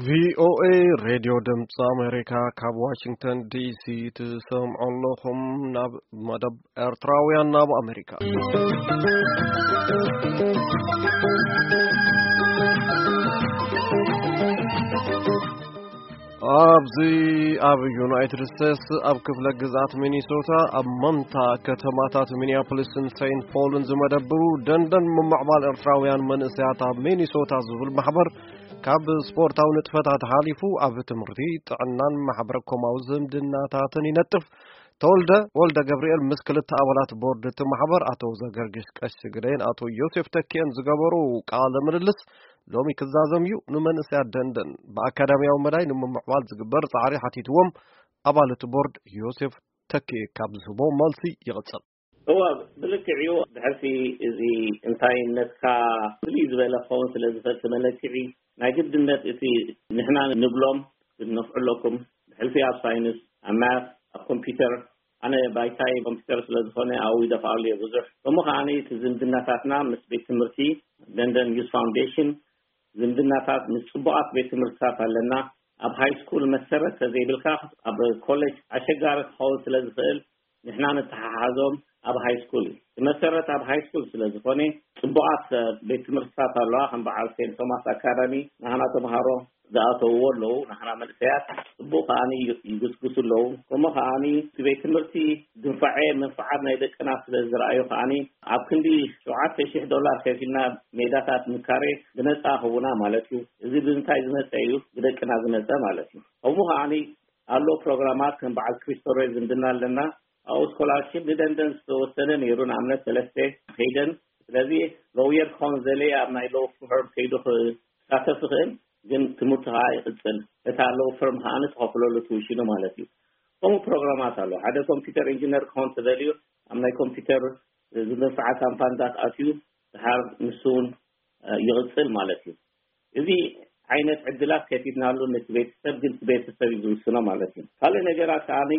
ቪኦኤ ሬድዮ ድምፂ ኣሜሪካ ካብ ዋሽንግተን ዲሲ ትሰምዑ ኣለኹም። ናብ መደብ ኤርትራውያን ናብ ኣሜሪካ። ኣብዚ ኣብ ዩናይትድ ስቴትስ ኣብ ክፍለ ግዝኣት ሚኒሶታ ኣብ መንታ ከተማታት ሚኒያፖሊስን ሴንት ፖልን ዝመደብሩ ደንደን ምምዕባል ኤርትራውያን መንእሰያት ኣብ ሚኒሶታ ዝብል ማሕበር ካብ ስፖርታዊ ንጥፈታት ሓሊፉ ኣብ ትምህርቲ፣ ጥዕናን ማሕበረ ኮማዊ ዝምድናታትን ይነጥፍ። ተወልደ ወልደ ገብርኤል ምስ ክልተ ኣባላት ቦርድ እቲ ማሕበር ኣቶ ዘገርግሽ ቀሺ ግደይን ኣቶ ዮሴፍ ተኪኤን ዝገበሩ ቃለ ምልልስ ሎሚ ክዛዘም እዩ። ንመንእሰያት ደንደን ብኣካዳሚያዊ መዳይ ንምምዕባል ዝግበር ጻዕሪ ሓቲትዎም ኣባል እቲ ቦርድ ዮሴፍ ተኪኤ ካብ ዝህቦ መልሲ ይቕጽል። እወ፣ ብልክዕ እዩ። ድሕርቲ እዚ እንታይነትካ ፍልይ ዝበለ ክኸውን ስለ ዝኽእል፣ እቲ መለክዒ ናይ ግድነት እቲ ንሕና ንብሎም ክትነፍዑ ኣለኩም። ብሕልፊ ኣብ ሳይንስ፣ ኣብ ማት፣ ኣብ ኮምፒውተር፣ ኣነ ባይታይ ኮምፒውተር ስለ ዝኾነ ኣብኡ ይደፍኣሉ እየ ብዙሕ። ከምኡ ከዓኒ እቲ ዝምድናታትና ምስ ቤት ትምህርቲ ደንደን ዩዝ ፋውንዴሽን፣ ዝምድናታት ምስ ጽቡቓት ቤት ትምህርትታት ኣለና። ኣብ ሃይ ስኩል መሰረት ተዘይብልካ ኣብ ኮሌጅ ኣሸጋሪ ክኸውን ስለ ዝኽእል ንሕና ንተሓሓዞም ኣብ ሃይ ስኩል እዩ። እቲ መሰረት ኣብ ሃይ ስኩል ስለ ዝኾነ ጽቡቓት ቤት ትምህርትታት ኣለዋ፣ ከም በዓል ሴንት ቶማስ ኣካዳሚ ናህና ተምሃሮ ዝኣተውዎ ኣለዉ፣ ናህና መንእሰያት ጽቡቕ ከዓኒ ይጉስጉሱ ኣለዉ። ከምኡ ከዓኒ እቲ ቤት ትምህርቲ ድንፋዐ መንፍዓት ናይ ደቅና ስለ ዝረኣዩ ከዓኒ ኣብ ክንዲ ሸውዓተ ሺሕ ዶላር ከፊልና ሜዳታት ንካሬ ብነጻ ህቡና ማለት እዩ። እዚ ብምንታይ ዝመጸ እዩ? ብደቅና ዝመጸ ማለት እዩ። ከምኡ ከዓኒ ኣሎ ፕሮግራማት ከም በዓል ክሪስቶሬ ዝምድና ኣለና። ኣብኡ ስኮላርሺፕ ንደንደን ዝተወሰነ ነይሩ፣ ንኣብነት ሰለስተ ከይደን። ስለዚ ሎየር ክኸውን ዘለ ኣብ ናይ ሎ ፈርም ከይዱ ክሳተፍ ይኽእል፣ ግን ትምህርቱ ከዓ ይቕጽል። እታ ሎ ፈርም ከዓ ንትኸፍለሉ ትውሽኑ ማለት እዩ። ከምኡ ፕሮግራማት ኣሎ። ሓደ ኮምፒውተር ኢንጂነር ክኸውን ተደልዩ ኣብ ናይ ኮምፒውተር ዝመንፈዓ ካምፓኒታት ኣትዩ ድሓር ንሱ እውን ይቕጽል ማለት እዩ። እዚ ዓይነት ዕድላት ከፊትናሉ ነቲ ቤተሰብ፣ ግን እቲ ቤተሰብ እዩ ዝውስኖ ማለት እዩ። ካልእ ነገራት ከዓኒ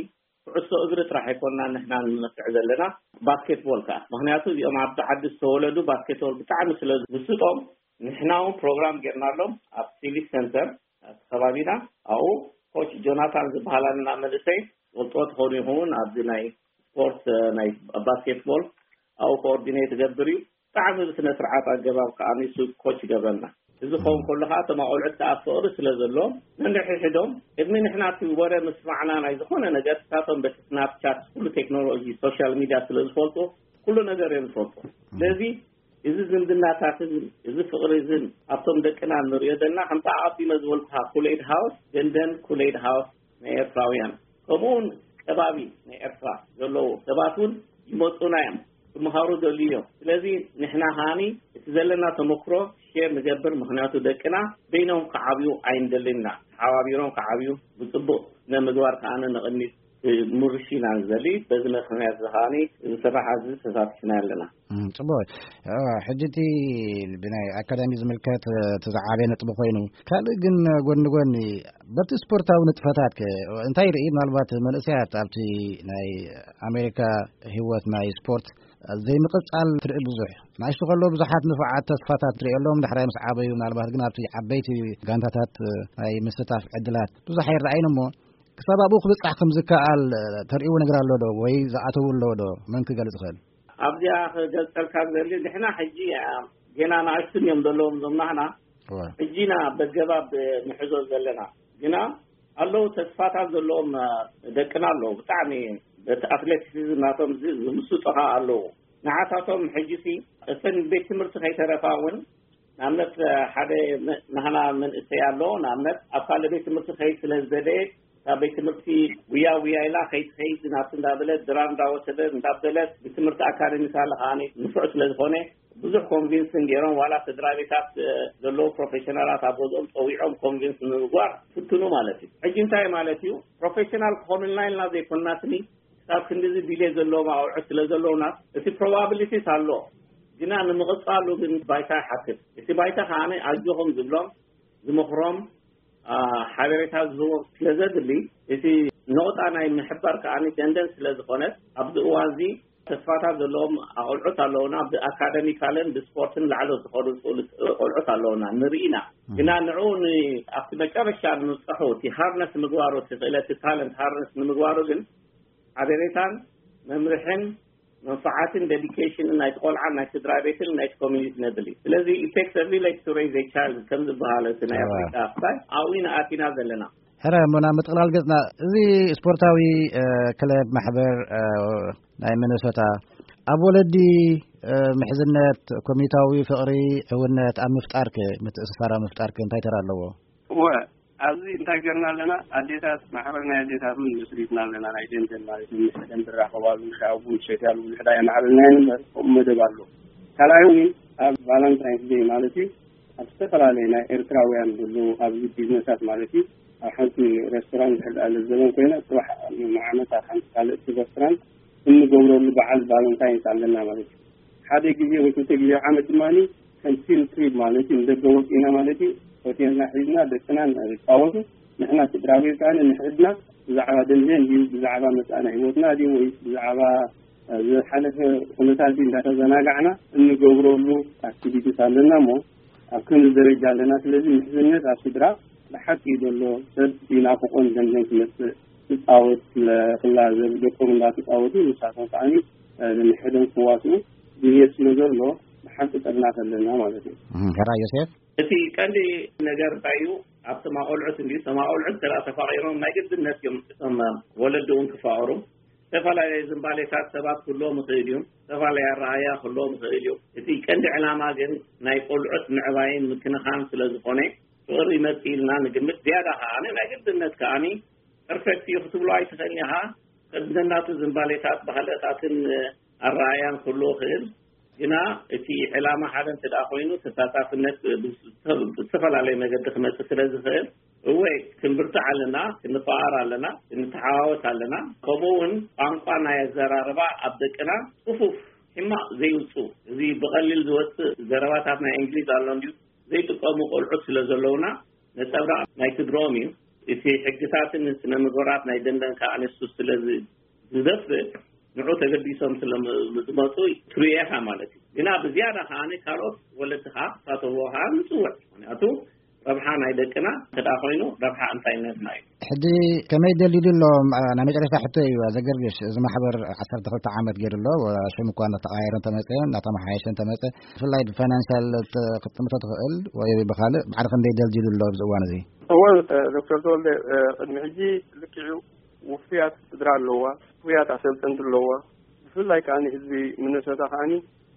ኩዕሶ እግሪ ጥራሕ ኣይኮንና ንሕና ንመክዕ ዘለና፣ ባስኬትቦል ከዓ። ምኽንያቱ እዚኦም ኣብዚ ዓዲ ዝተወለዱ ባስኬትቦል ብጣዕሚ ስለ ዝምስጦም፣ ንሕና እውን ፕሮግራም ጌርናሎም ኣብ ሲቪክ ሰንተር ኣብቲ ከባቢና። ኣብኡ ኮች ጆናታን ዝበሃል ኣለና መንእሰይ፣ ትፈልጥዎ ትኾኑ ይኸውን፣ ኣብዚ ናይ ስፖርት፣ ናይ ባስኬትቦል ኣብኡ ኮኦርዲኔት ይገብር እዩ። ብጣዕሚ ብስነ ስርዓት ኣገባብ ከዓ ንሱ ኮች ይገብረና። እዚ ክኸውን ከሎ ከዓ እቶም ኣቆልዑት ከዓ ፍቕሪ ስለ ዘለዎም ነንሕድሕዶም ቅድሚ ንሕና እቲ ወረ ምስማዕና ናይ ዝኾነ ነገር ንሳቶም በቲ ስናፕቻት ኩሉ ቴክኖሎጂ ሶሻል ሚድያ ስለ ዝፈልጡ ኩሉ ነገር እዮም ዝፈልጡ። ስለዚ እዚ ዝምድናታትን እዚ ፍቕሪ እዝን ኣብቶም ደቅና ንሪኦ ዘለና ከምቲ ኣቐዲመ ዝበልኩኻ ኩሌድ ሃውስ ደንደን ኩሌድ ሃውስ ናይ ኤርትራውያን ከምኡውን ከባቢ ናይ ኤርትራ ዘለዉ ሰባት እውን ይመፁና እዮም። ክመሃሩ ደልዩ እዮም። ስለዚ ንሕና ከዓኒ እቲ ዘለና ተመክሮ ሼር ንገብር፣ ምኽንያቱ ደቅና በይኖም ክዓብዩ ኣይንደልን ኢና። ተሓባቢሮም ክዓብዩ ብፅቡቕ ስነ ምግባር ከዓኒ ንቕድሚት ምርሽ ኢና ንዘሊ። በዚ ምኽንያት እዚ ከዓኒ እዚ ስራሕ እዚ ተሳቲፍና ኣለና። እም፣ ጽቡቕ። እ፣ ሕጂ እቲ ብናይ ኣካዳሚ ዝምልከት፣ እ፣ እቲ ዝዓበየ ነጥቢ ኮይኑ፣ ካልእ ግን ጎኒ ጎኒ በቲ ስፖርታዊ ንጥፈታት ከ እንታይ ይርኢ? ምናልባት መንእሰያት ኣብቲ ናይ ኣሜሪካ ህይወት ናይ ስፖርት ዘይምቕጻል ትርኢ ብዙሕ። ንኣሽቱ ከሎ ብዙሓት ንፉዓት ተስፋታት ትርእየሎም፣ ዳሕራይ ምስ ዓበዩ ምናልባት ግን ኣብቲ ዓበይቲ ጋንታታት፣ እ፣ ናይ ምስታፍ ዕድላት ብዙሕ ኣይረኣይን እሞ፣ ክሳብ ኣብኡ ክብጻሕ ከም ዝከኣል፣ እ፣ ተርእይዎ ነገር ኣሎ ዶ? ወይ ዝኣተዉ ኣለዉ ዶ? መን ክገልጽ ይኽእል? ኣብዚኣ ክገልጸልካ ዝደሊ፣ ንሕና ሕጂ፣ አ፣ ጌና ንኣሽቱን እዮም ዘለዎም እዞም ናህና። እወ። ሕጂ ኢና በገባብ ንሕዞ ዘለና። ግና ኣለዉ ተስፋታት ዘለዎም፣ አ፣ ደቅና ኣለዉ። ብጣዕሚ በቲ ኣትሌቲክስ ናቶም ዝ-፣ ዝምስጡ ኸኣ ኣለዉ። ንዓታቶም ሕጂሲ እተን ቤት ትምህርቲ ከይተረፋ እውን ንኣብነት፣ ሓደ መ-፣ ናህና መንእሰይ ኣሎ። ንኣብነት ኣብ ካልእ ቤት ትምህርቲ ከይድ ስለ ዝደለየ፣ ካብ ቤት ትምህርቲ ጉያ ጉያ ኢላ ከይትኸይድ ናብቲ እንዳበለት፣ ድራር እንዳወሰደ እንዳበለት፣ ቤት ትምህርቲ ኣካደሚካሊ ከዓኒ ንፉዕ ስለ ዝኾነ፣ ብዙሕ ኮንቪንስ ገይሮም፣ ዋላ ስድራ ቤታት፣ እ፣ ዘለዉ ፕሮፌሽናላት ኣብ ገዝኦም ጸዊዖም ኮንቪንስ ንምግባር ፍትኑ ማለት እዩ። ሕጂ እንታይ ማለት እዩ? ፕሮፌሽናል ክኾኑልና ኢልና ዘይኮንና ስኒ፣ ክሳብ ክንድዚ ድሌት ዘለዎም ኣውዕት ስለ ዘለውና፣ እቲ ፕሮባብሊቲስ ኣሎ። ግና ንምቕጻሉ ግን ባይታ ይሓትት። እቲ ባይታ ከዓኒ ኣጆኹም ዝብሎም፣ ዝመኽሮም፣ አ፣ ሓበሬታ ዝህቦም ስለ ዘድሊ፣ እቲ ነቑጣ ናይ ምሕባር ከዓኒ ደንደን ስለ ዝኾነት፣ ኣብዚ እዋን እዚ ተስፋታት ዘለዎም ኣቆልዑት ኣለውና። ብኣካደሚካልን ብስፖርትን ላዕሎ ዝኸዱ ቆልዑት ኣለውና፣ ንርኢና። ግና ንዑ ን ኣብቲ መጨረሻ ንምብፅሑ፣ እቲ ሃርነስ ምግባሩ፣ እቲ ክእለት፣ ታለንት ሃርነስ ንምግባሩ ግን ሓበሬታን መምርሕን መንፋዓትን ዴዲኬሽንን ናይቲ ቆልዓን ናይ ስድራ ቤትን ናይቲ ኮሚኒቲ ነድሊ። ስለዚ ቴክስ ቪሌጅ ቱ ሬዝ ቻይልድ ከም ዝበሃል እቲ ናይ ኣፍሪካ ክፋል ኣብኡ ኢና ኣቲና ዘለና። ሕረ እሞ ናብ ምጥቕላል ገጽና፣ እዚ ስፖርታዊ ክለብ ማሕበር ናይ ሚነሶታ ኣብ ወለዲ ምሕዝነት፣ ኮሚታዊ ፍቕሪ፣ ሕውነት ኣብ ምፍጣርክ፣ ምትእስሳር ኣብ ምፍጣርክ እንታይ ተራ ኣለዎ? እወ፣ ኣብዚ እንታይ ገርና ኣለና? ኣዴታት፣ ማሕበር ናይ ኣዴታት እውን መስሪትና ኣለና። ናይ ደንደን ማለት እዩ። ምስ ደን ዝራኸባሉ፣ ሻይ ቡን ሸትያሉ፣ ውልሕዳ የማዕብልና የንበር፣ ከምኡ መደብ ኣሎ። ካልኣይ እውን ኣብ ቫለንታይንስ ዴይ ማለት እዩ፣ ኣብ ዝተፈላለዩ ናይ ኤርትራውያን ዘለዉ ኣብዚ ቢዝነሳት ማለት እዩ፣ ኣብ ሓንቲ ሬስቶራንት ድሕር ደኣ ለዘበን ኮይና፣ ጽባሕ ንዓመት ኣብ ሓንቲ ካልእቲ ሬስቶራንት እንገብረሉ በዓል ቫለንታይንስ ኣለና ማለት እዩ። ሓደ ግዜ ወይ ክልተ ግዜ ኣብ ዓመት ድማ ከም ፊልድ ትሪፕ ማለት እዩ፣ ንደገ ወፂእና ማለት እዩ፣ ሆቴልና ሒዝና ደቅና ንፃወቱ፣ ንሕና ስድራ ቤት ከዓ ንሕድና ብዛዕባ ደንደን ድዩ፣ ብዛዕባ መፃእና ህይወትና ድዩ፣ ወይ ብዛዕባ ዝሓለፈ ኩነታት እንዳተዘናጋዕና እንገብረሉ ኣክቲቪቲስ ኣለና። እሞ ኣብ ከምዚ ደረጃ ኣለና። ስለዚ ምሕዝነት ኣብ ስድራ ብሓቂ ዘሎ ሰብ ይናፍቆን ደንደን ክመፅእ ክፃወት ክላዘብ ደቆም እንዳተፃወቱ ንሳቶም ከዓኒ ንሕደን ክዋስኡ ድልየት ስለ ዘሎ ብሓቂ ጠርናፍ ኣለና ማለት እዩ። ሕራ ዮሴፍ፣ እቲ ቀንዲ ነገር እንታይ እዩ? ኣብቶም ኣቆልዑት እንዲ እቶም ኣቆልዑት እንተ ተፋቂሮም ናይ ግድነት እዮም እቶም ወለዲ እውን ክፋቀሩ። ዝተፈላለዩ ዝንባሌታት ሰባት ክህልዎም ይኽእል እዩ። ዝተፈላለዩ ኣረኣያ ክህልዎም ይኽእል እዩ። እቲ ቀንዲ ዕላማ ግን ናይ ቆልዑት ምዕባይን ምክንኻን ስለ ዝኾነ ፍቕሪ ይመጽእ ኢልና ንግምት። ዝያዳ ከኣ ናይ ግድነት ከኣ ፐርፌክት እዩ ክትብሎ ኣይትኽእልን ኢኻ። ከንደናቱ ዝንባሌታት ባህልታትን ኣረኣያን ክህልዎ ይኽእል። ግና እቲ ዕላማ ሓደ እንተ ደኣ ኮይኑ ተሳታፍነት ብዝተፈላለየ መገዲ ክመጽእ ስለ ዝኽእል እወ ክንብርትዕ ኣለና፣ ክንፈኣር ኣለና፣ ክንተሓዋወስ ኣለና። ከምኡ እውን ቋንቋ ናይ ኣዘራርባ ኣብ ደቅና ጽፉፍ ሕማቕ ዘይውፁ፣ እዚ ብቐሊል ዝወፅእ ዘረባታት ናይ እንግሊዝ ኣሎ እንዲዩ ዘይጥቀሙ ቆልዑት ስለ ዘለውና ነፀብራቕ ናይ ስድሮም እዩ። እቲ ሕግታትን ስነ ምግባራት ናይ ደንደን ከዓ ንሱ ስለ ዝደፍእ ንዑ ተገዲሶም ስለ ዝመፁ ትርእየኻ ማለት እዩ። ግና ብዝያዳ ከዓ ካልኦት ወለድኻ ክሳተፍዎ ከዓ ንፅውዕ። ምክንያቱ ረብሓ ናይ ደቅና እንተ ደኣ ኮይኑ ረብሓ እንታይነትና እዩ። ሕጂ ከመይ ደልዩ ኣሎ? ናይ መጨረሻ ሕቶ እዩ ዘገርግሽ። እዚ ማሕበር ዓሰርተ ክልተ ዓመት ገይሩ ኣሎ። ሽም እኳ እናተቐያየረ እንተመፀ፣ እናተመሓየሸ እንተመፀ፣ ብፍላይ ብፋይናንሻል ክትጥምቶ ትኽእል ወይ ብኻልእ ማዕረ ክንደይ ደልዲሉ ኣሎ ኣብዚ እዋን እዚ? እወ፣ ዶክተር ተወልደ፣ ቅድሚ ሕጂ ልክዕ እዩ፣ ውፉያት ስድራ ኣለዋ፣ ውፉያት ኣሰልጠንቲ ኣለዋ። ብፍላይ ከዓኒ ህዝቢ ሚነሶታ ከዓኒ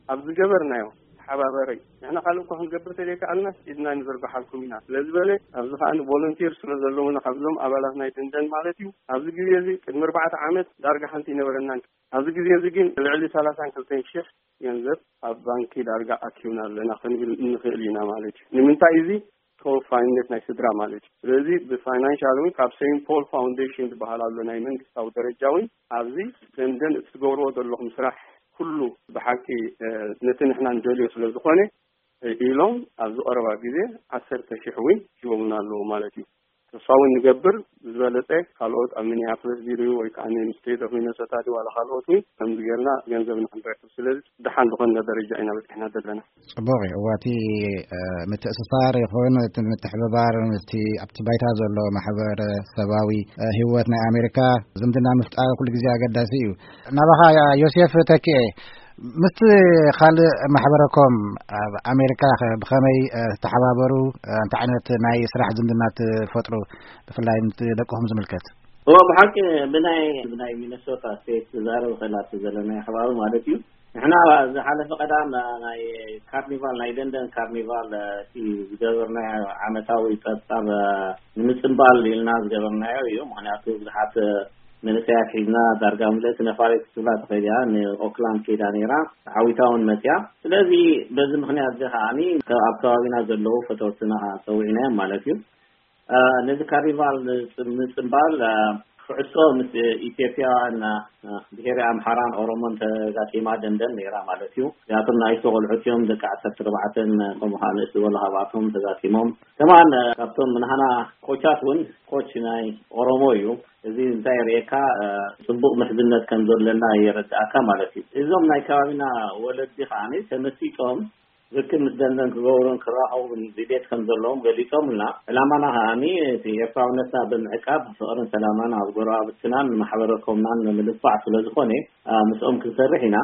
ኣብ ዝገበርናዮ ተሓባበረይ፣ ንሕና ካልእ እኳ ክንገብር ተዘይከኣልናስ ኢድና ንዘርግሓልኩም ኢና ስለ ዝበለ፣ ኣብዚ ከዓኒ ቮለንቲር ስለ ዘለውና ካብዞም ኣባላት ናይ ደንደን ማለት እዩ፣ ኣብዚ ግዜ እዚ ቅድሚ ኣርባዕተ ዓመት ዳርጋ ሓንቲ ኣይነበረናን። ኣብዚ ግዜ እዚ ግን ልዕሊ ሰላሳን ክልተን ሽሕ ገንዘብ ኣብ ባንኪ ዳርጋ ኣኪብና ኣለና ክንብል እንኽእል ኢና ማለት እዩ። ንምንታይ እዚ ተወፋይነት ናይ ስድራ ማለት እዩ። ስለዚ ብፋይናንሻል እውን ካብ ሴንት ፖል ፋውንዴሽን ዝበሃል ኣሎ ናይ መንግስታዊ ደረጃ እውን ኣብዚ ደንደን እትገብርዎ ዘለኹም ስራሕ ኩሉ ብሓቂ፣ እ፣ ነቲ ንሕና ንደልዮ ስለ ዝኾነ፣ እ፣ ኢሎም ኣብዚ ቀረባ ግዜ ዓሰርተ ሽሕ እውን ሂቦምና ኣለዉ ማለት እዩ። ተስፋ እውን ንገብር ዝበለጸ ካልኦት ኣብ ሚኒያፖሊስ ድዩ ወይ ከዓ ስቴት ኦፍ ሚነሶታ ድዩ ዋላ ካልኦት እውን ከምዚ ጌርና ገንዘብ ንክንረክብ። ስለዚ ደሓን ዝኾነ ደረጃ ኢና በፂሕና ዘለና። ጽቡቕ እዩ። እዋ፣ እቲ፣ እ፣ ምትእስሳር ይኹን እቲ ምትሕብባር ምስቲ ኣብቲ ባይታ ዘሎ ማሕበረሰባዊ፣ እ፣ ህይወት ናይ ኣሜሪካ ዝምድና ምፍጣር ኩሉ ግዜ ኣገዳሲ እዩ። ናባኻ ዮሴፍ ተኪኤ፣ ምስቲ ካልእ ማሕበረኮም ኣብ ኣሜሪካ ኸ ብኸመይ፣ እ፣ ትተሓባበሩ? እ፣ እንታይ ዓይነት ናይ ስራሕ ዝምድና ትፈጥሩ? ብፍላይ ምስቲ ደቅኹም ዝምልከት። እዎ፣ ብሓቂ ብናይ፣ ብናይ ሚነሶታ ስቴት ክዛረብ እኽእል ኣብቲ ዘለናዮ ከባቢ ማለት እዩ። ንሕና ዝሓለፈ ቀዳም ናይ ካርኒቫል፣ ናይ ደንደን ካርኒቫል፣ እቲ ዝገበርናዮ ዓመታዊ ጸብጻብ ንምጽንባል ኢልና ዝገበርናዮ እዩ። ምኽንያቱ ብዙሓት መንእሰያት ሒዝና ዳርጋ ምልእቲ ነፋሪት ክትብላ ትኽእል እያ። ንኦክላንድ ከይዳ ነይራ፣ ተዓዊታ እውን መጽያ። ስለዚ በዚ ምኽንያት እዚ ከዓኒ ኣብ ከባቢና ዘለዉ ፈተውትና ጸዊዕናዮም ማለት እዩ። እ፣ ነዚ ካርኒቫል ንጽ-፣ ምጽንባል፣ እ፣ ዕጥቆ ምስ ኢትዮጵያ እና ብሄረ ኣምሓራን ኦሮሞን ተጋጢማ ደንደን ነይራ ማለት እዩ። እዚኣቶም ንኣሽቱ ቆልዑት እዮም፣ ደቂ ዓሰርተ ኣርባዕተን ከምኡ ከዓ ንእስ ዝበሉ ካብኣቶም ተጋጢሞም። ከማን ካብቶም ንሃና ኮቻት እውን ኮች ናይ ኦሮሞ እዩ። እዚ እንታይ የርእየካ? ጽቡቕ ምሕዝነት ከም ዘለና የረድኣካ ማለት እዩ። እዞም ናይ ከባቢና ወለዲ ከዓ ተመሲጦም ርክብ ምስ ደንደን ክገብሩን ክራኸቡን ድሌት ከም ዘለዎም ገሊጾምልና፣ ዕላማና ከኣኒ እቲ ኤርትራውነትና ብምዕቃብ ፍቕርን ሰላማን ኣብ ጎረባብትናን ማሕበረኮምናን ንምድንፋዕ ስለ ዝኾነ ምስኦም ክንሰርሕ ኢና።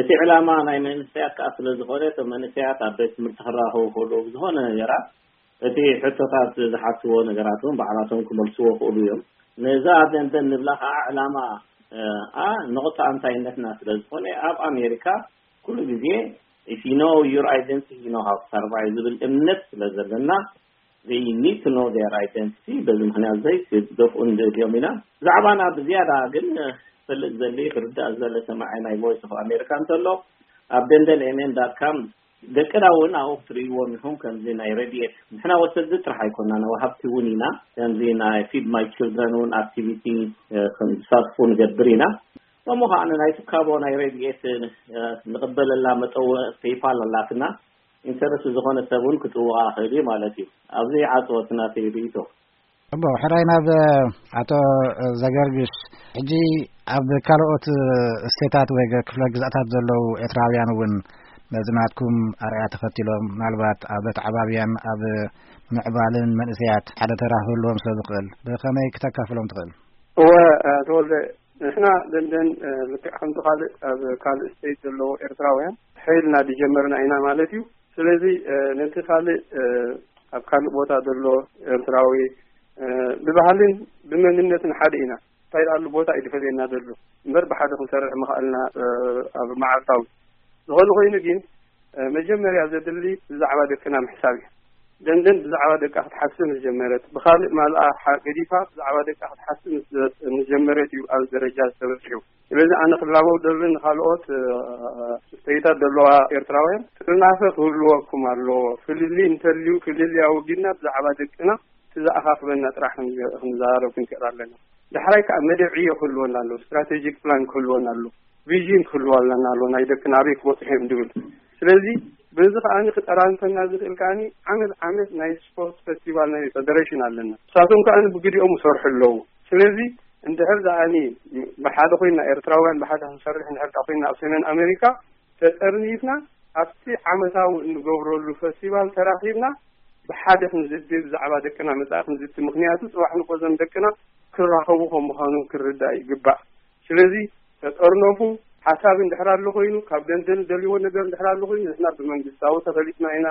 እቲ ዕላማ ናይ መንእሰያት ከኣ ስለ ዝኾነ እቶም መንእሰያት ኣብ ቤት ትምህርቲ ክራኸቡ ከለዉ ብዝኾነ ነገራት እቲ ሕቶታት ዝሓትዎ ነገራት እውን ባዕላቶም ክመልስዎ ክእሉ እዮም። ነዛ ደንደን ንብላ ከዓ ዕላማ ኣ ንቑጣ ኣንታይነትና ስለ ዝኾነ ኣብ ኣሜሪካ ኩሉ ግዜ if you know your identity you know how to survive ዝብል እምነት ስለ ዘለና they need to know their identity። በዚ ምክንያት ዘይ ክደፍኡ ንደልዮም ኢና። ብዛዕባና ብዝያዳ ግን ክፈልጥ ዘሊ ክርዳእ ዘለ ሰማዒ ናይ ቮይስ ኦፍ ኣሜሪካ እንተሎ ኣብ ደንደን ኤምኤን ዳት ካም ደቅና እውን ኣብኡ ክትርእይዎም ኢኹም። ከምዚ ናይ ረድኤት ንሕና ወሰድቲ ጥራሕ ኣይኮና ወሃብቲ እውን ኢና። ከምዚ ናይ ፊድ ማይ ችልድረን እውን ኣክቲቪቲ ከም ዝሳትፉ ንገብር ኢና። ከምኡ ከዓ ናይ ትካቦ ናይ ረድኤት ንቕበለላ መጠወ ፔይፓል ኣላትና። ኢንተረስት ዝኾነ ሰብ እውን ክጥውቓ ክእል እዩ ማለት እዩ። ኣብዚ ዓፅወት ናተይ ርእይቶ። እሞ ሕራይ ናብ ኣቶ ዘገርግሽ፣ ሕጂ ኣብ ካልኦት ስቴታት ወይ ክፍለ ግዛታት ዘለዉ ኤርትራውያን እውን ነዚ ናትኩም ኣርኣያ ተኸቲሎም ምናልባት ኣብ ኣተዓባብያን ኣብ ምዕባልን መንእሰያት ሓደ ተራ ክህልዎም ስለ ዝኽእል ብኸመይ ክተካፍሎም ትኽእል? እወ፣ ተወልደ፣ ንሕና ደንደን ልክዕ ከምቲ ካልእ ኣብ ካልእ ስቴት ዘለዎ ኤርትራውያን ሓይልና ዝጀመርና ኢና ማለት እዩ። ስለዚ ነቲ ካልእ ኣብ ካልእ ቦታ ዘሎ ኤርትራዊ ብባህልን ብመንነትን ሓደ ኢና። እንታይ ደኣ ኣሎ ቦታ እዩ ዝፈልየና ዘሎ እምበር ብሓደ ክንሰርሕ ምኽኣልና ኣብ መዓልታዊ ዝኾነ ኮይኑ ግን መጀመርያ ዘድሊ ብዛዕባ ደቅና ምሕሳብ እዩ። ደንደን ብዛዕባ ደቃ ክትሓስብ ምስ ጀመረት፣ ብኻልእ ማልኣ ገዲፋ ብዛዕባ ደቃ ክትሓስብ ምስ ጀመረት እዩ ኣብ ደረጃ ዝተበፅሑ። ስለዚ ኣነ ክላበው ደሊ ንካልኦት ስቴታት ዘለዋ ኤርትራውያን ጥርናፈ ክህልወኩም ኣለዎ። ፍልልይ እንተልዩ ፍልልይ ኣወጊድና ብዛዕባ ደቅና እቲ ዝኣኻኽበና ጥራሕ ክንዘራረብ ክንክእል ኣለና። ዳሕራይ ከዓ መደብ ዕዮ ክህልወና ኣሎ፣ ስትራቴጂክ ፕላን ክህልወና ኣሎ፣ ቪዥን ክህልወና ኣሎ፣ ናይ ደቅና ኣበይ ክበፅሑ እዮም ዝብል። ስለዚ በዚ ከዓኒ ክጠራንፈና ዝኽእል ከዓኒ ዓመት ዓመት ናይ ስፖርት ፌስቲቫል ናይ ፌደሬሽን ኣለና። ንሳቶም ከዓኒ ብግዲኦም ይሰርሑ ኣለዉ። ስለዚ እንድሕር ደኣኒ ብሓደ ኮይና ኤርትራውያን ብሓደ ክንሰርሕ እንድሕር ኮይና ኣብ ሰሜን ኣሜሪካ ተጠርኒፍና ኣብቲ ዓመታዊ እንገብረሉ ፈስቲቫል ተራኺብና ብሓደ ክንዝቲ ብዛዕባ ደቅና መጻኢ ክንዝቲ። ምክንያቱ ጽባሕ ንቆዘም ደቅና ክራኸቡ ከም ምዃኑ ክርዳእ ይግባእ። ስለዚ ተጠርነፉ። ሓሳብ እንድሕር ኣሎ ኮይኑ ካብ ደንደን ደልዎ ነገር እንድሕር ኣሎ ኮይኑ ንሕና ብመንግስታዊ ተፈሊጥና ኢና፣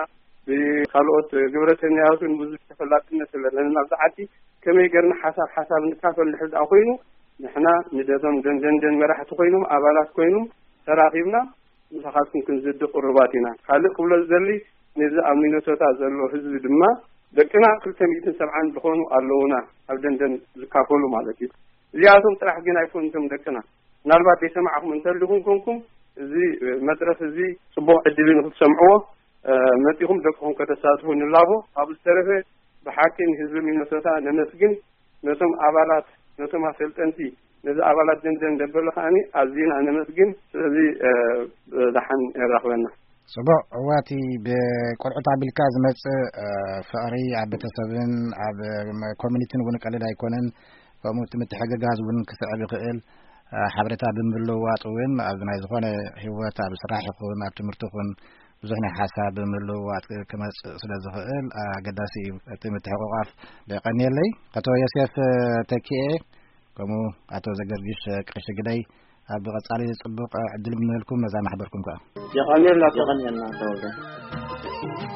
ብካልኦት ግብረተኛያቱን ብዙሕ ተፈላጥነት ስለለና ኣብዚ ዓዲ ከመይ ገርና ሓሳብ ሓሳብ ንካፈል እንድሕር ደኣ ኮይኑ ንሕና ንደቶም ደንደንደን መራሕቲ ኮይኖም ኣባላት ኮይኖም ተራኺብና ምሳኻትኩም ክንዝዲ ቅሩባት ኢና። ካልእ ክብሎ ዝደሊ ነዚ ኣብ ሚነሶታ ዘሎ ህዝቢ ድማ ደቅና ክልተ ሚእትን ሰብዓን ዝኾኑ ኣለዉና ኣብ ደንደን ዝካፈሉ ማለት እዩ። እዚኣቶም ጥራሕ ግን ኣይኮኑቶም ደቅና። ምናልባት ዘይሰማዕኹም እንተልኹም ኮንኩም እዚ መድረኽ እዚ ጽቡቕ ዕድል ንክትሰምዕዎ መጺኹም ደቅኹም ከተሳትፉ ንላቦ። ካብ ዝተረፈ ብሓቂ ንህዝቢ ሚነሶታ ነመስግን። ነቶም ኣባላት ነቶም ኣሰልጠንቲ ነዚ ኣባላት ደንደን ደበሎ ከዓኒ ኣዝና ነመስግን። ስለዚ ደሓን የራኽበና። ጽቡቕ። እዋቲ ብቆልዑት ኣቢልካ ዝመጽእ ፍቕሪ ኣብ ቤተሰብን ኣብ ኮሚኒቲን እውን ቀልል ኣይኮነን። ከምኡ እቲ ምትሕግጋዝ እውን ክስዕብ ይኽእል። ሓበሬታ ብምልውዋጥ እውን ኣብ ናይ ዝኾነ ህይወት ኣብ ስራሕ ይኹን ኣብ ትምህርቲ ይኹን ብዙሕ ናይ ሓሳብ ብምልውዋጥ ክመጽእ ስለ ዝኽእል ኣገዳሲ እዩ እቲ ምትሕቑቓፍ። ደቀንየለይ ኣቶ ዮሴፍ ተኪኤ ከምኡ ኣቶ ዘገርጊሽ ቀሺ ግደይ ኣብ ቀጻሊ ጽቡቕ ዕድል ምንህልኩም ነዛ ማሕበርኩም ከኣ። የቐንየልና። የቐንየልና ተወልደ።